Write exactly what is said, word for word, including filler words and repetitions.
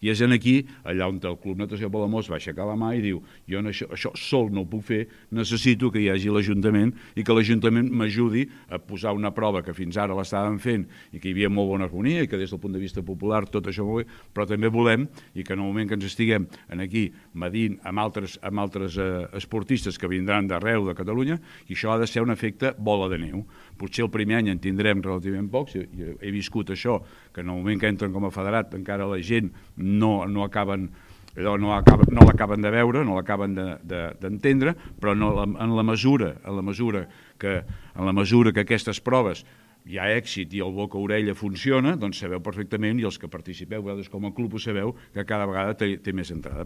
I és en aquí, allà on el Club Natació Palamós va aixecar la mà i diu jo això, això sol no ho puc fer, necessito que hi hagi l'Ajuntament i que l'Ajuntament m'ajudi a posar una prova que fins ara l'estàvem fent i que hi havia molt bona harmonia i que des del punt de vista popular tot això molt bé, però també volem i que en el moment que ens estiguem aquí medint amb altres, amb altres eh, esportistes que vindran d'arreu de Catalunya, i això ha de ser un efecte bola de neu. Potser el primer any en tindrem relativament pocs, i he viscut això, que en el moment que entren com a federat encara la gent no, no acaben no, acaba, no l'acaben de veure, no l'acaben d'entendre, de, de, però no, en, la mesura, en, la mesura que, en la mesura que aquestes proves hi ha èxit i el boca-orella funciona, doncs sabeu perfectament, i els que participeu, vosaltres com a club ho sabeu, que cada vegada té, té més entrada.